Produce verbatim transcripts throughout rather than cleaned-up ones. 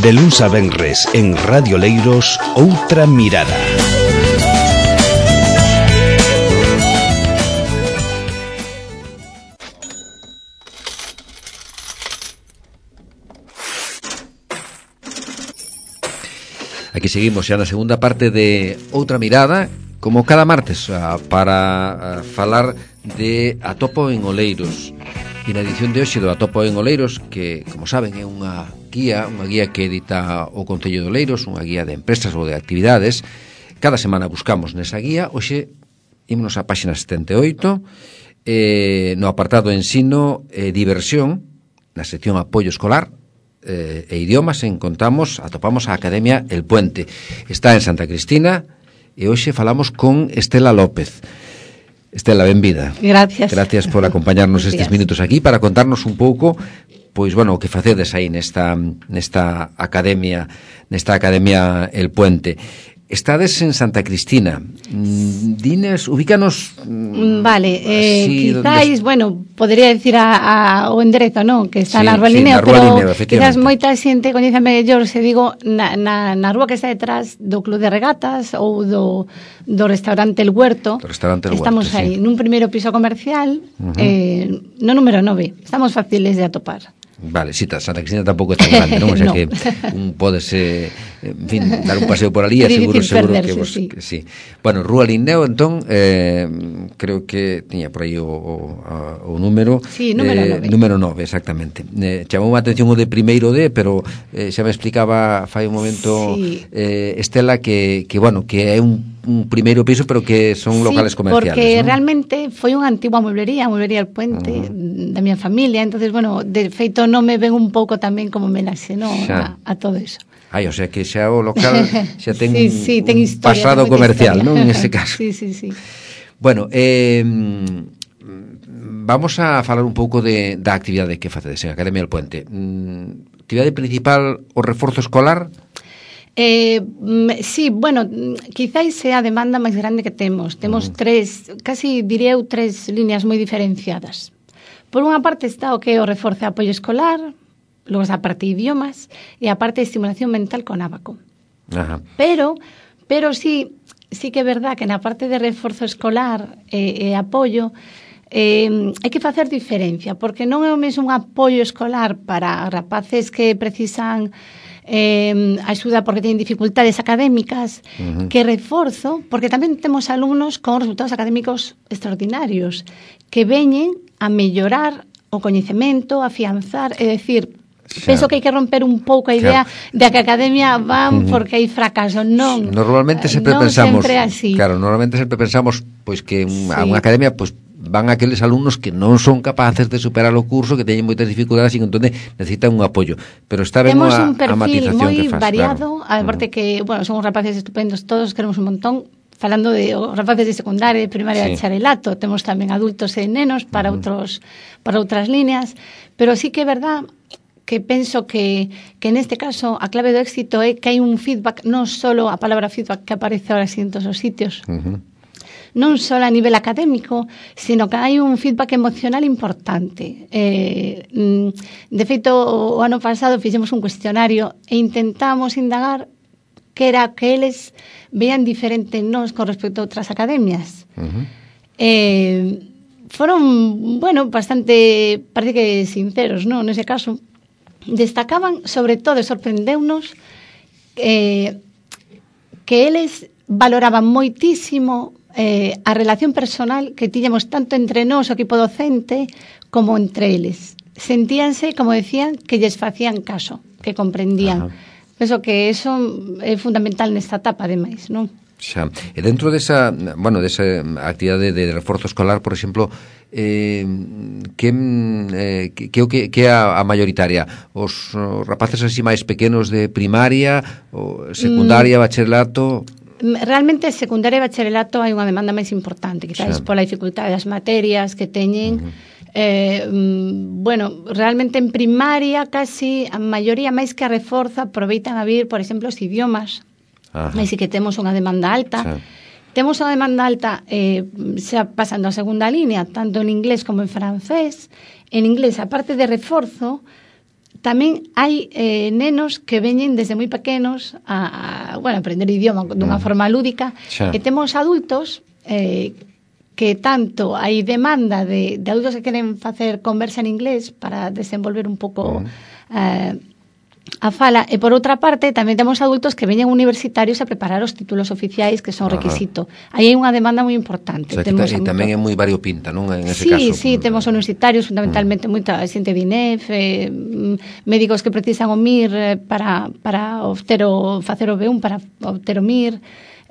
De luns a venres en Radio Leiros, Outra Mirada. Aquí seguimos xa na segunda parte de Outra Mirada, como cada martes, para falar de Atopo en Oleiros. E na edición de hoxe do Atopo en Oleiros, que, como saben, é unha guía, unha guía que edita o Concello de Oleiros, unha guía de empresas ou de actividades. Cada semana buscamos nesa guía. Hoxe ímonos á páxina setenta e oito, eh, no apartado ensino e diversión, na sección apoio escolar eh, e idiomas, encontramos, atopamos a Academia El Puente. Está en Santa Cristina e hoxe falamos con Estela López. Estela, benvida. Gracias. Gracias por acompañarnos estes minutos aquí para contarnos un pouco, pois, bueno, o que facedes aí nesta, nesta academia, nesta Academia El Puente. Estades en Santa Cristina. Dines, ubícanos... Vale, eh, quizáis, donde... bueno, podría decir a, a, o enderezo, non? Que está sí, na Rúa sí, Linneo, na Rúa pero Linneo, quizás moita xente coñece mellor, se digo, na, na, na rúa que está detrás do Club de Regatas ou do, do restaurante El Huerto. Do restaurante El Estamos Huerto, aí, sí. nun primeiro piso comercial, uh-huh. eh, no número nove. Estamos fáciles de atopar. Vale, sí, Santa Cristina tampouco é tan grande, non? O sea no. que un podese, en fin, dar un paseo por ali, seguro, seguro que vos... Sí. Que, sí. Bueno, Rúa Linneo, entón, eh, creo que tiña por aí o, o, o número... Sí, número eh, nove. Número nove, exactamente. Eh, chamou a atención o de primeiro D, pero eh, xa me explicaba fai un momento sí. eh, Estela que, que, bueno, que é un un primeiro piso, pero que son locales sí, comerciales, porque ¿no? Realmente foi unha antigua mueblería, a mueblería El Puente, uh-huh. da miña familia, entonces, bueno, de feito non me ven un pouco tamén como homenaxe, ¿no? a, a todo eso. Ai, o sea que xa o local xa ten sí, sí, ten un historia, pasado comercial, historia. non? En ese caso. Sí, sí, sí. Bueno, eh, vamos a falar un pouco de, da actividade que facedes en Academia El Puente. Mm, actividade principal, o reforzo escolar? Eh, sí, bueno, quizáis sea a demanda máis grande que temos. Temos uh-huh. tres, casi diría eu, tres líneas moi diferenciadas. Por unha parte está o que é o reforzo de apoio escolar, logo está a parte de idiomas e a parte de estimulación mental con Abaco. Ajá. Pero, pero sí, sí que é verdad que na parte de reforzo escolar e, e apoio eh, hai que facer diferencia, porque non é o mesmo un apoio escolar para rapaces que precisan eh, axuda porque teñen dificultades académicas, uh-huh. que reforzo, porque tamén temos alumnos con resultados académicos extraordinarios que veñen a mellorar o coñecemento, a afianzar, é dicir, xa. Penso que hai que romper un pouco a idea claro. de que a academia van uh-huh. porque hai fracaso, non. Normalmente sempre non pensamos, sempre así. Claro, normalmente sempre pensamos pois que sí. a unha academia pois van aqueles alumnos que non son capaces de superar o curso, que teñen moitas dificultades e que entón necesitan un apoio. Pero está ben a, a matización que faz. Temos un perfil moi variado, claro. aparte uh-huh. que, bueno, son rapaces estupendos, todos queremos un montón. Falando de os rapaces de secundaria, de primaria, sí. de bacharelato, temos tamén adultos e nenos para uh-huh. outros para outras líneas, pero sí que é verdad que penso que, que neste caso a clave do éxito é que hai un feedback, non só a palabra feedback que aparece ahora en todos os sitios, uh-huh. non só a nivel académico, sino que hai un feedback emocional importante. Eh, de feito, o ano pasado fixemos un cuestionario e intentamos indagar que era que eles vean diferente nos con respecto a outras academias. Uh-huh. Eh, foron, bueno, bastante, parece que sinceros, non? Nese caso, destacaban, sobre todo, e sorprendeunos, eh, que eles valoraban moitísimo eh, a relación personal que tiñamos tanto entre nós, o equipo docente, como entre eles. Sentíanse, como decían, que lles facían caso, que comprendían. Ajá. Penso que eso é fundamental nesta etapa, ademais, non? Xa. E dentro desa, bueno, desa actividade de reforzo escolar, por exemplo, eh, que, eh, que, que, que é a, a mayoritaria? Os, os rapaces así máis pequenos de primaria, o secundaria, mm. bacharelato? Realmente, secundaria e bacharelato hai unha demanda máis importante, quizás pola dificultade das materias que teñen. Uh-huh. Eh, bueno, realmente en primaria casi a maioría máis que a reforzo aproveitan a vir, por exemplo, os idiomas. Aí sí que temos unha demanda alta. Sí. Temos unha demanda alta eh, xa pasando a segunda línea, tanto en inglés como en francés. En inglés, a parte de reforzo, tamén hai eh, nenos que veñen desde moi pequenos a, a bueno, aprender idioma dunha mm. forma lúdica, xa. E temos adultos eh, que tanto hai demanda de, de adultos que queren facer conversa en inglés para desenvolver un pouco mm. eh, a fala, e por outra parte tamén temos adultos que veñen universitarios a preparar os títulos oficiais que son Ajá. requisito. Aí hai unha demanda moi importante. O sea, temos e tamén é moi variopinta, non? En ese sí, caso. Sí, sí, temos universitarios fundamentalmente mm. moita xente de I N E F, eh, médicos que precisan o M I R para, para obter o, facer o B un, para obter o M I R.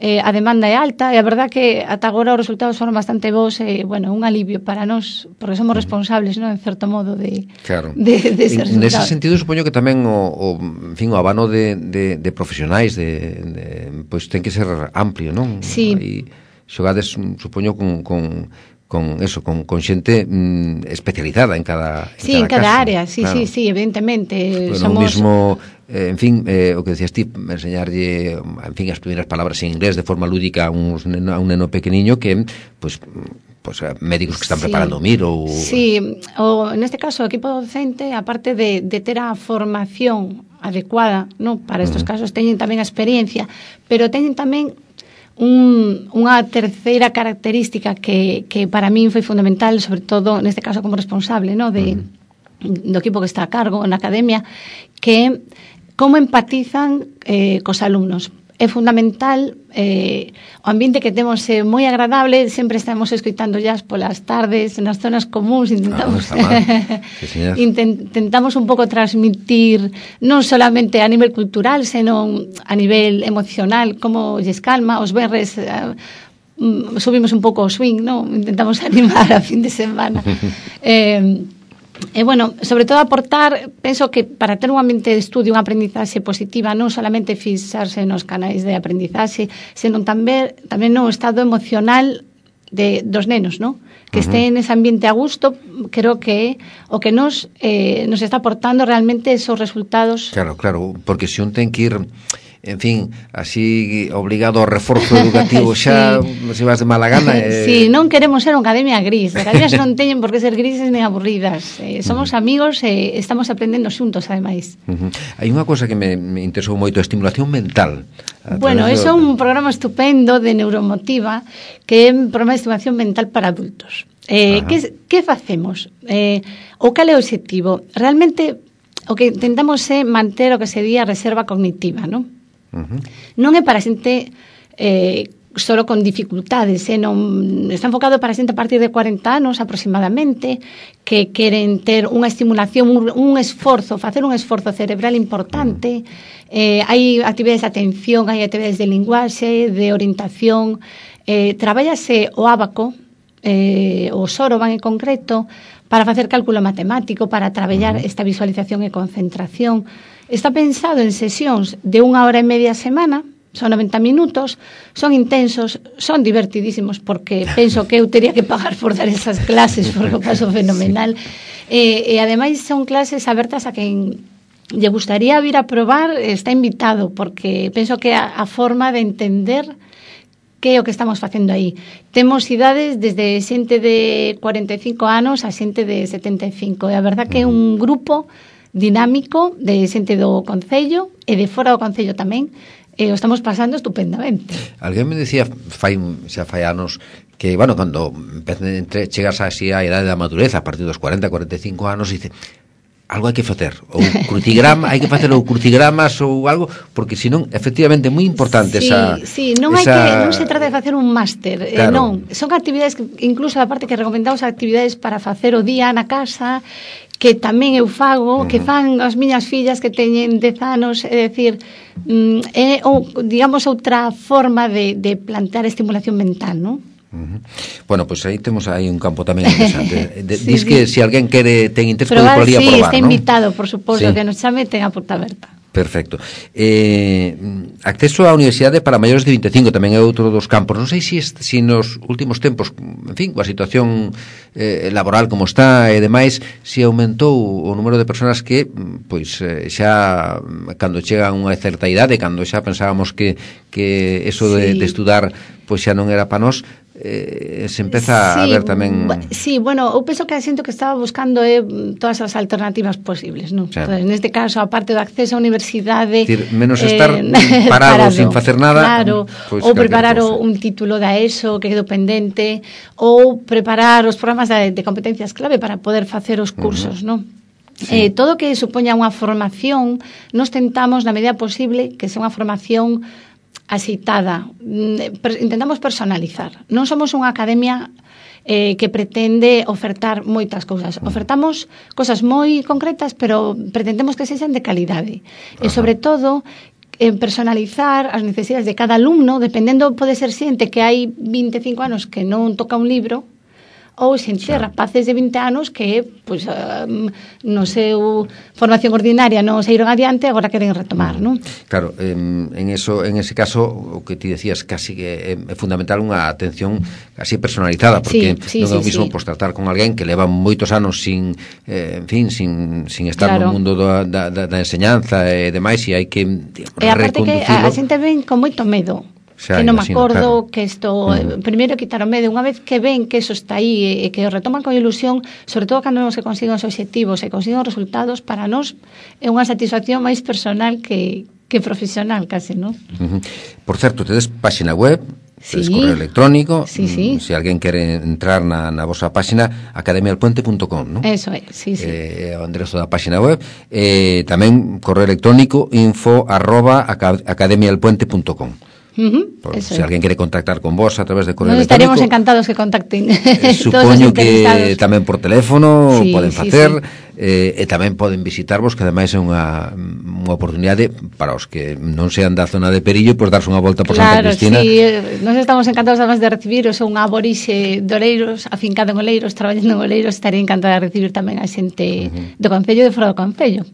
Eh, a demanda é alta e a verdad que ata agora os resultados foron bastante bons e, bueno, un alivio para nós, porque somos responsables, non, en certo modo, de, claro. de, de ese resultado. Nese sentido, supoño que tamén o, o, en fin, o abano de, de, de profesionais de, de, pois ten que ser amplio, non? Sí. Aí xogades, supoño, con... con con eso, con, con xente mm, especializada en cada en sí, cada en cada caso, área, sí, claro. sí, sí, evidentemente. Bueno, somos... o mismo, eh, en fin, eh, o que decías ti, enseñarlle, en fin, as primeiras palabras en inglés de forma lúdica a, uns neno, a un neno pequeniño que, pues, pues médicos que están sí. preparando o M I R ou... Sí, o, neste caso, o equipo docente, aparte de, de ter a formación adecuada, no, para estes uh-huh. casos, teñen tamén a experiencia, pero teñen tamén Un, unha terceira característica que, que para min foi fundamental, sobre todo neste caso como responsable, no, de, uh-huh. do equipo que está a cargo na academia, que como empatizan eh, cos alumnos. É fundamental eh, o ambiente que temos é moi agradable, sempre estamos escoitando jazz polas tardes nas zonas comuns, intentamos ah, sí, intentamos un pouco transmitir non solamente a nivel cultural, senón a nivel emocional, como lles calma, os berres uh, subimos un pouco o swing, non? Intentamos animar a fin de semana. eh, E, bueno, sobre todo aportar, penso que para ter un ambiente de estudio, unha aprendizaxe positiva, non solamente fixarse nos canais de aprendizaxe, senón tamén, tamén no estado emocional de, dos nenos, non? Que uh-huh. estén nese ambiente a gusto, creo que o que nos, eh, nos está aportando realmente esos resultados. Claro, claro, porque se un ten que ir... En fin, así obligado ao reforzo educativo xa, sí. se vas de mala gana... Eh... Sí, non queremos ser unha academia gris. As academias non teñen por que ser grises nem aburridas. Eh, somos uh-huh. amigos e eh, estamos aprendendo xuntos, ademais. Uh-huh. Hai unha cosa que me, me interesou moito, a estimulación mental. Bueno, é do... un programa estupendo de Neuromotiva, que é un programa de estimulación mental para adultos. Eh, que, que facemos? Eh, o cal é o objetivo? Realmente, o que intentamos é manter o que se di a reserva cognitiva, non? Uh-huh. Non é para xente eh, solo con dificultades, eh, non, está enfocado para xente a partir de cuarenta anos aproximadamente, que queren ter unha estimulación, un, un esforzo, facer un esforzo cerebral importante. Uh-huh. eh, hai actividades de atención, hai actividades de linguaxe, de orientación, eh, traballase o ábaco, eh, o soroban en concreto, para facer cálculo matemático, para traballar uh-huh. esta visualización e concentración. Está pensado en sesións de unha hora e media a semana, son noventa minutos, son intensos, son divertidísimos, porque penso que eu teria que pagar por dar esas clases, porque o paso fenomenal. E, e ademais son clases abertas a quen lle gustaría vir a probar, está invitado, porque penso que a, a forma de entender que é o que estamos facendo aí. Temos idades desde xente de cuarenta e cinco anos a xente de setenta e cinco, e a verdad que é un grupo dinámico de xente do Concello e de fora do Concello tamén, e o estamos pasando estupendamente. Alguén me decía fai, xa fai anos que, bueno, cando entre, chegas así a idade da madureza, a partir dos cuarenta, cuarenta e cinco anos, dice, algo hai que facer, ou crucigrama, hai que facer ou crucigramas ou algo, porque senón, efectivamente, é moi importante sí, esa... Sí, non hai esa... que, non se trata de facer un máster, claro. eh, non, son actividades que, incluso a parte que recomendamos actividades para facer o día na casa, que tamén eu fago, uh-huh. que fan as miñas fillas que teñen dez anos, é dicir, é, ou, digamos, outra forma de, de plantear estimulación mental, non? Uh-huh. Bueno, pois pues aí temos aí un campo tamén interesante. De, sí, dis sí. que se si alguén quere ten interés probar, pode por ali a sí, probar, está ¿no? invitado, por suposto, sí. que nos chame, ten a porta aberta. Perfecto. Eh, acceso á universidade para maiores de vinte e cinco tamén é outro dos campos. Non sei se si, si nos últimos tempos, en fin, coa situación eh, laboral como está e demais, se si aumentou o número de persoas que pois eh, xa cando chegan a unha certa idade, cando xa pensábamos que, que eso de, sí. de estudar pois xa non era para nós, eh, se empeza sí, a ver tamén... Sí, bueno, eu penso que a xente que estaba buscando é eh, todas as alternativas posibles, non? Sí. Entonces, neste caso, a parte do acceso á universidade... Decir, menos estar eh, parado, parado sin facer nada... Claro, pues, ou preparar o, un título da ESO que quedou pendente, ou preparar os programas de, de competencias clave para poder facer os cursos, uh-huh. non? Sí. Eh, todo que supoña unha formación, nos tentamos, na medida posible, que sea unha formación asitada. Intentamos personalizar. Non somos unha academia eh, que pretende ofertar moitas cousas. Ofertamos cosas moi concretas, pero pretendemos que sexan de calidade. Ajá. E, sobre todo, en personalizar as necesidades de cada alumno, dependendo, pode ser xente que hai vinte e cinco anos que non toca un libro, ou xente, sí. rapaces de vinte anos que, pues, um, no seu formación ordinaria non se iron adiante, agora queren retomar, non? Claro, en, en eso, en ese caso, o que ti decías, casi que é fundamental unha atención casi personalizada, porque sí, sí, non é o mismo sí, sí. Pues, tratar con alguén que leva moitos anos sin, eh, en fin, sin, sin estar claro. no mundo da, da, da enseñanza e demais, e hai que digamos, e aparte que a, a xente ven con moito medo. Xa, que non me acordo, claro. que isto mm. primeiro quitar o medo, unha vez que ven que eso está aí e que o retoman con ilusión, sobre todo cando non se consiguen os obxectivos e consiguen os resultados, para nós é unha satisfacción máis personal que, que profesional case, non? Uh-huh. Por certo, tedes páxina web, tedes sí. correo electrónico, sí, sí. se alguén quere entrar na, na vosa páxina, academia del puente punto com, non? Eso é, sí, sí. Eh, o enderezo da páxina web, eh, tamén correo electrónico info arroba academia del puente punto com. Uh-huh, Por, si alguén quere contactar con vos a través de correo Nos electrónico, estaríamos encantados que contacten. eh, supoño que tamén por teléfono sí, poden facer, sí, sí. Eh, e tamén poden visitarvos, que ademais é unha, unha oportunidade para os que non sean da zona de Perillo, pois darse unha volta por claro, Santa Cristina. Sí, nos estamos encantados además de recibiros, un aborixe de Oleiros, afincado en Oleiros, traballando en Oleiros, estaría encantada de recibir tamén a xente uh-huh. do Concello e de fora do Concello.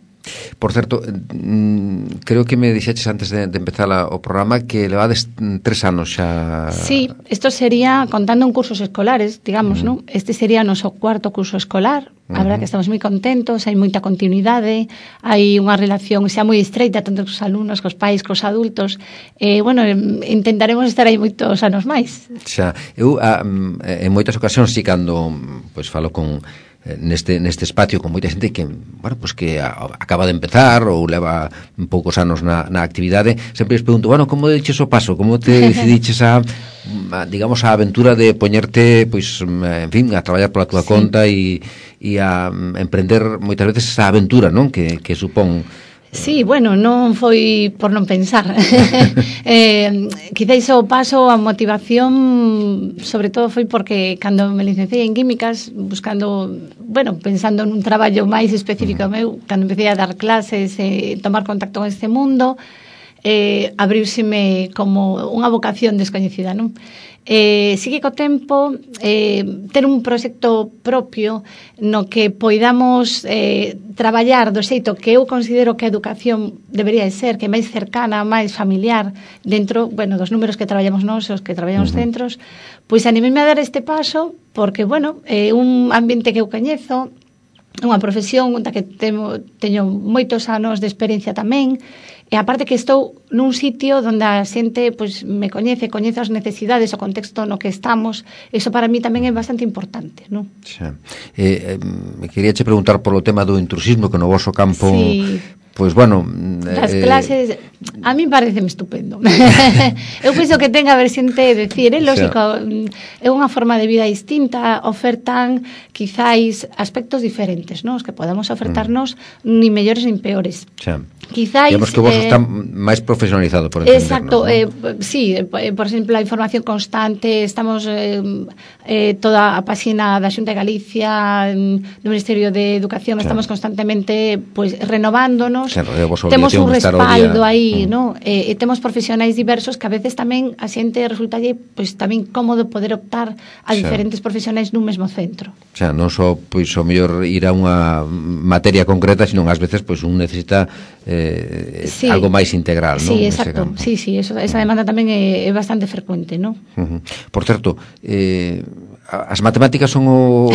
Por certo, mm, creo que me dixeches antes de, de empezar a, o programa que levades tres anos xa... Sí, isto sería, contando en cursos escolares, digamos, uh-huh. non? Este sería o noso cuarto curso escolar. A verdade uh-huh. que estamos moi contentos, hai moita continuidade, hai unha relación xa moi estreita tanto cos alumnos, cos pais, cos adultos. E, eh, bueno, intentaremos estar aí moitos anos máis. Xa, eu a, en moitas ocasións, si cando pois falo con neste neste espacio con moita xente que, bueno, pues que a, acaba de empezar ou leva poucos anos na, na actividade, sempre les pregunto, bueno, como deches o paso, como te decidiches a, a digamos, a aventura de poñerte, pois, en fin, a traballar pola túa sí. conta e, e a emprender moitas veces esa aventura, non? Que, que supón. Sí, bueno, non foi por non pensar. eh, quizáis o paso, a motivación, sobre todo foi porque cando me licenciei en químicas, buscando, bueno, pensando nun traballo máis específico uh-huh. meu, cando empecé a dar clases, eh, tomar contacto con este mundo, eh, abrírseme como unha vocación descoñecida, non? Eh, sigue co tempo eh, ter un proxecto propio no que poidamos eh, traballar do xeito que eu considero que a educación debería de ser, que é máis cercana, máis familiar dentro, bueno, dos números que traballamos nós, os que traballamos uh-huh. centros, pois animeme a dar este paso porque, bueno, é eh, un ambiente que eu coñezo, unha profesión da que temo, teño moitos anos de experiencia tamén. E aparte que estou nun sitio onde a xente pois, me coñece, coñece as necesidades, o contexto no que estamos, eso para mí tamén é bastante importante, non? Xa. Eh, eh, quería che preguntar polo tema do intrusismo que no voso campo... Sí. Pois, bueno... As eh... clases, a mí pareceme estupendo. Eu penso que ten a ver xente decir, é lógico, é unha forma de vida distinta, ofertan quizáis aspectos diferentes, non? Os que podemos ofertarnos mm. ni mellores nin peores. Xa. Quizáis... Digamos que vos eh, está máis profesionalizado, por entendernos. Exacto, ¿no? eh, sí, por exemplo, a información constante, estamos eh, eh, toda a páxina da Xunta de Galicia, do Ministerio de Educación, xa. Estamos constantemente pues, renovándonos. Xa, temos un respaldo aí, mm. ¿no? E, e temos profesionais diversos que a veces tamén a xente resultalle pois tamén cómodo poder optar a xa. Diferentes profesionais nun mesmo centro. Xa, non só pois o mellor ir a unha materia concreta, sino ás veces pois un necesita eh, sí. algo máis integral, ¿no? Sí, exacto. Sí, sí, eso, esa demanda tamén é, é bastante frecuente, ¿no? Uh-huh. Por certo, eh as matemáticas son o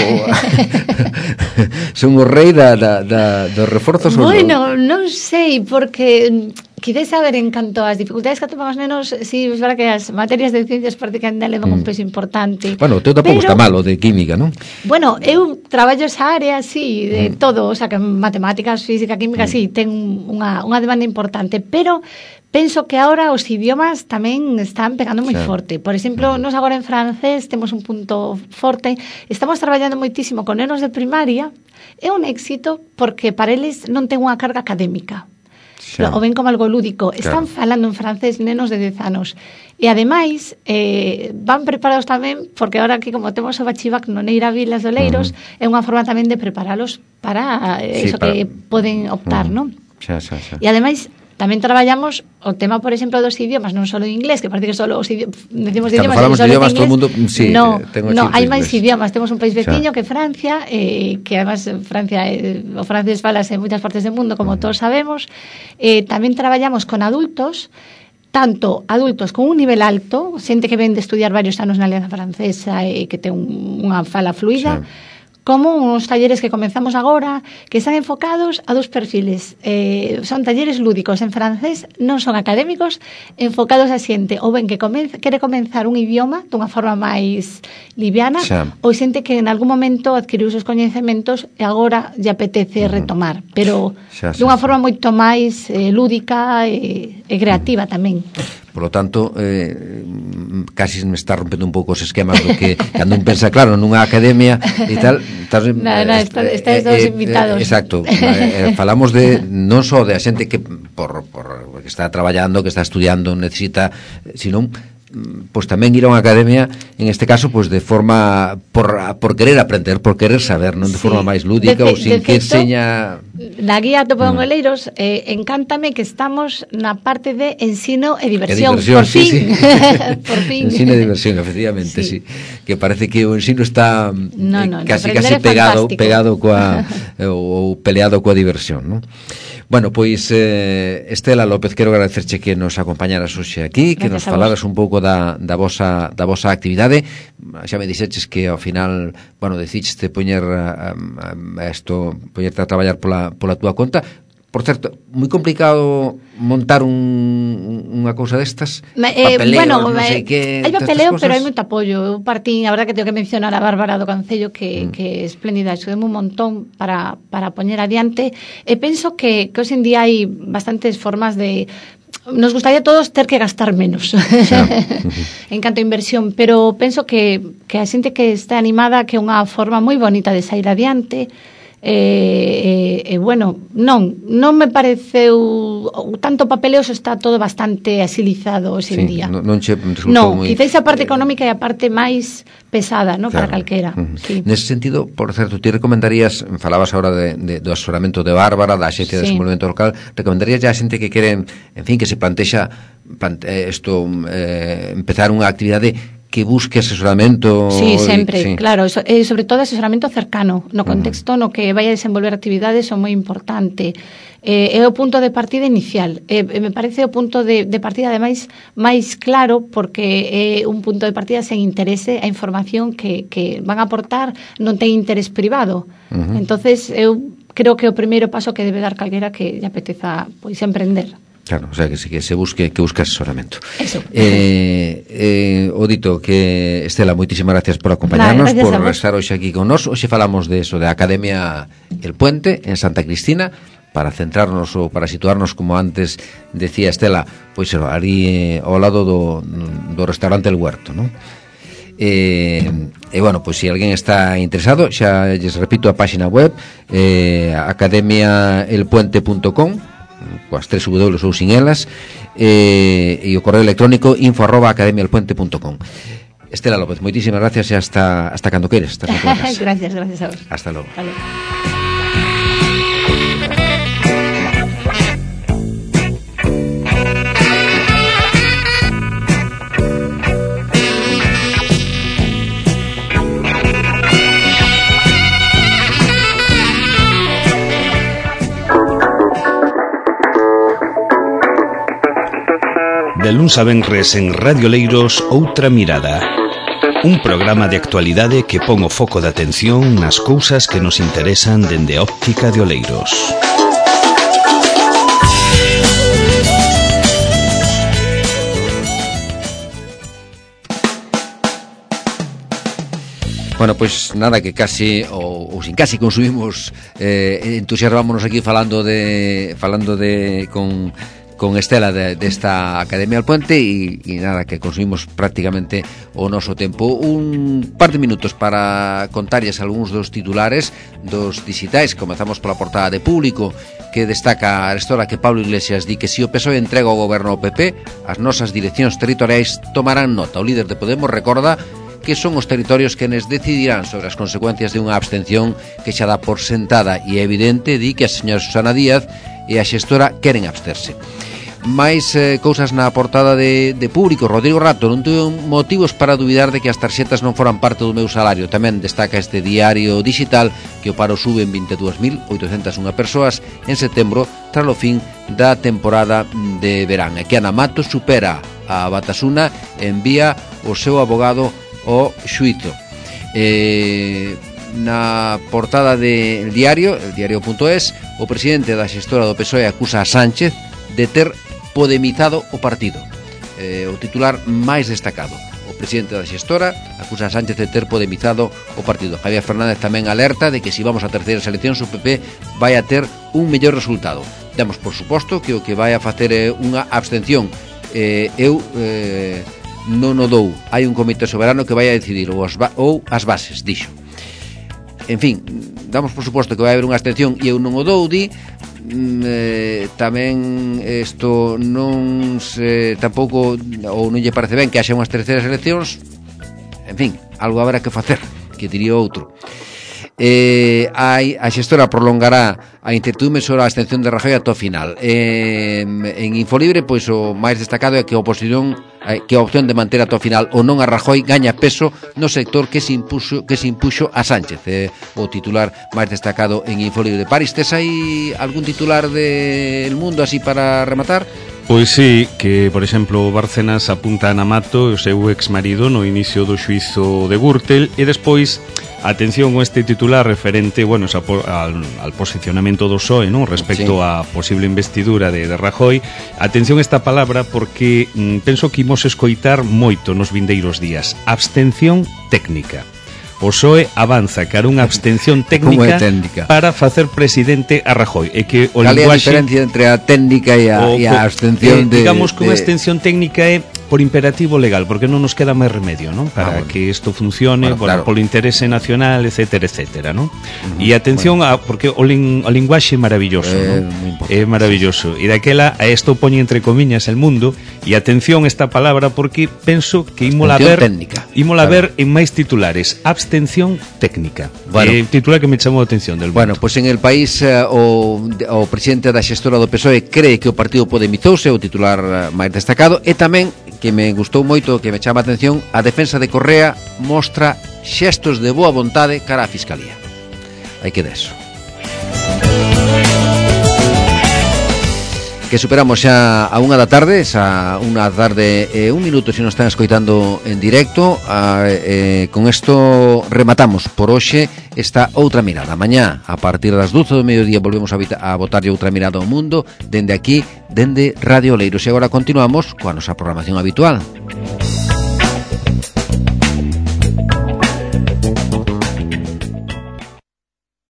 son o rei da, da, da, dos reforzos. Bueno, non sei, porque Quizás saber en canto ás dificultades que atopan os nenos, si es verdad que as materias de ciencias parece que ainda levan mm. un peso importante. Bueno, teu tampouco está malo de química, non? Bueno, eu traballo esa área, sí, de mm. todo, o sea, que matemáticas, física, química, mm. sí, ten unha, unha demanda importante, pero penso que ahora os idiomas tamén están pegando moi sí. forte. Por exemplo, nos agora en francés temos un punto forte. Estamos traballando moitísimo con nenos de primaria. É un éxito porque para eles non ten unha carga académica. Sí. O ven como algo lúdico. Están claro. falando en francés nenos de dez anos. E ademais, eh, van preparados tamén, porque ahora aquí como temos o bachivac no Neira Vilas de Oleiros, uh-huh. é unha forma tamén de preparalos para eh, sí, eso para... que poden optar, uh-huh. non? Xa, xa, xa. E ademais, tamén traballamos o tema, por exemplo, dos idiomas, non só o inglés, que parece que só os idiomas, decimos de idiomas, falamos de idiomas, todo o mundo, sí, no, tengo no, hai máis idiomas, temos un país veciño que Francia, eh, que además Francia, eh, o francés falase en moitas partes do mundo, como uh-huh. todos sabemos. Eh, tamén traballamos con adultos, tanto adultos con un nivel alto, xente que ven de estudiar varios anos na Alianza Francesa e que ten un, unha fala fluida, sí. como uns talleres que comenzamos agora, que están enfocados a dos perfiles. Eh, son talleres lúdicos en francés, non son académicos, enfocados a xente ou ben que comenza, quere comenzar un idioma dunha forma máis liviana, xa. ou xente que en algún momento adquiriu os coñecementos e agora lle apetece uh-huh. retomar, pero xa, xa, dunha xa. forma moito máis eh, lúdica e, e creativa uh-huh. tamén. Por lo tanto, eh, casi me está rompendo un pouco os esquemas do que cando un pensa, claro, nunha academia e tal, estás, no, no, está, estáis eh, todos eh, invitados. Eh, exacto. eh, falamos de non só de a xente que por, por que está traballando, que está estudiando, necesita, sino pois tamén ir a unha academia, en este caso, pois de forma por, por querer aprender, por querer saber, non de sí. forma máis lúdica de, ou sin de que feito, seña... Na guía Topo en Oleiros, eh, encántame que estamos na parte de ensino e diversión, e diversión por sí, fin. Sí. por fin. Ensino e diversión, efectivamente, sí. sí. Que parece que o ensino está no, no, eh, casi no, casi pegado, pegado coa ou peleado coa diversión, non? Bueno, pois eh, Estela López, quero agradecerche que nos acompañaras hoxe aquí, que Gracias nos falaras un pouco da, da, vosa, da vosa actividade. Xa me dixeches que ao final, bueno, decicheste poñer a, a, a esto, poñerte a traballar pola, pola túa conta. Por certo, moi complicado montar un, unha cousa destas, eh, papeleo, bueno, non sei que... Hai papeleo, pero hai moito apoio. Eu partín, a verdad que tengo que mencionar a Bárbara do Concello, que, mm. que é espléndida, axudeme un montón para, para poñer adiante. E penso que, que hoxe en día hai bastantes formas de... Nos gustaría a todos ter que gastar menos en canto a inversión, pero penso que, que a xente que está animada, que é unha forma moi bonita de sair adiante. E, e, e bueno, non non me pareceu tanto papeleo, está todo bastante asilizado hoxe en sí, día. Non, non che no, moi... quizás a parte económica e a parte máis pesada, ¿no? Claro. Para calquera. Uh-huh. Sí. Nese sentido, por certo, ti recomendarías, falabas agora de, de, do asesoramento de Bárbara, da Axencia sí. de Desenvolvemento Local, recomendarías ya a xente que quere, en fin, que se plantexa plante, esto, eh, empezar unha actividade que busque asesoramento. Sí, sempre, sí. claro, so, eh, sobre todo asesoramento cercano, no contexto uh-huh. no que vai a desenvolver actividades son moi importante. Eh, é o punto de partida inicial. Eh, me parece o punto de, de partida ademais máis claro, porque é un punto de partida sen interese, a información que, que van a aportar non ten interés privado. Uh-huh. Entonces eu creo que o primeiro paso que debe dar calquera que lle apeteza pois emprender. Claro, o sea, que se, que se busque que busque asesoramento. Eso. Eh, eh, o dito que, Estela, moitísimas gracias por acompañarnos, vale, por estar hoxe aquí con nós. Hoxe falamos de eso, de Academia El Puente, en Santa Cristina, para centrarnos ou para situarnos, como antes decía Estela, pois ali eh, ao lado do, do restaurante El Huerto, non? E, e bueno, pois se alguén está interesado, xa lles repito a página web, eh, academia el puente punto com, coas tres W ou sin elas, eh, e o correo electrónico info arroba academia el puente punto com. Estela López, moitísimas gracias e hasta, hasta cando queres. Gracias, gracias a vos. Hasta logo. Vale. De luns a venres en Radio Leiros, Outra Mirada. Un programa de actualidade que pon o foco de atención nas cousas que nos interesan dende a óptica de Oleiros. Bueno, pois pues, nada, que casi ou, ou sin casi consumimos eh, entusiasmámonos aquí falando de falando de con con Estela de, desta Academia al Puente e, e nada, que consumimos prácticamente o noso tempo. Un par de minutos para contarles algúns dos titulares dos digitais. Comezamos pola portada de Público, que destaca a arestora que Pablo Iglesias di que se o P S O E entrega o goberno ao P P, as nosas direccións territoriais tomarán nota. O líder de Podemos recorda que son os territorios quenes decidirán sobre as consecuencias de unha abstención que xa dá por sentada, e é evidente, di que a señora Susana Díaz e a xestora queren absterse. máis eh, cousas na portada de, de Público. Rodrigo Rato: non tuve motivos para dubidar de que as tarxetas non foran parte do meu salario. Tamén destaca este diario digital que o paro sube en vinte e dúas mil oitocentas unha persoas en setembro tras o fin da temporada de verán, e que Ana Matos supera a Batasuna e envía o seu abogado ao xuízo. eh, na portada del diario, el diario.es, o presidente da xestora do P S O E acusa a Sánchez de ter podemizado o partido. Eh, o titular máis destacado: o presidente da xestora acusa a Sánchez de ter podemizado o partido. Javier Fernández tamén alerta de que se vamos a terceiras eleccións o P P vai a ter un mellor resultado. Damos por suposto que o que vai a facer é unha abstención. Eh, eu eh, non o dou. Hai un comité soberano que vai a decidir ou as, ou as bases, dixo. En fin, damos por suposto que vai haber unha abstención e eu non o dou, di. Eh, tamén isto non se tampouco, ou non lle parece ben que haxa unhas terceiras eleccións. En fin, algo haberá que facer, que diría outro. Eh, hai, a xestora prolongará a incertidumbre sobre a abstención de Rajoy ata o final. Eh, en Infolibre, pois o máis destacado é que a oposición, eh, que a opción de manter ata o final ou non a Rajoy gaña peso no sector que se impuxo, que se impuxo a Sánchez. Eh, o titular máis destacado en Infolibre. Paris, tes aí algún titular del Mundo así para rematar? Pois sí, que, por exemplo, Bárcenas apunta a Ana Mato, o seu exmarido, no inicio do xuízo de Gürtel, e despois, atención con este titular referente, bueno, al, al posicionamento do P S O E, ¿no?, respecto sí. a posible investidura de, de Rajoy. Atención esta palabra porque mm, penso que imos escoitar moito nos vindeiros días. Abstención técnica. O P S O E avanza cara unha abstención técnica, técnica para facer presidente a Rajoy. E que o Cal é a diferencia entre a técnica e a, o, e a abstención? Eh, de, digamos que unha abstención técnica é por imperativo legal, porque non nos queda máis remedio, ¿no?, para ah, bueno. que isto funcione, bueno, claro. polo interese nacional, etcétera, etcétera, ¿no? Uh-huh. E atención, bueno. a, porque o, ling, o linguaxe é maravilloso, eh, ¿no? É maravilloso. E daquela, a isto poñe entre comiñas el mundo, e atención esta palabra, porque penso que ímola ver, ímola claro. ver en máis titulares. Abstención técnica. Bueno. É titular que me chamou a atención del mundo. Bueno, pois pues en el país uh, o, o presidente da xestora do P S O E cree que o partido podemizouse, o titular uh, máis destacado, e tamén que me gustou moito, que me chama a atención, a defensa de Correa mostra xestos de boa vontade cara á Fiscalía. Hai que deso. Que superamos xa a unha da tarde, xa unha da tarde e un minuto se nos están escoitando en directo. A, eh, con isto rematamos por hoxe esta Outra Mirada. Mañá, a partir das doce do mediodía, volvemos a, a botarlle outra mirada ao mundo, dende aquí, dende Radio Oleiros. E agora continuamos coa nosa programación habitual.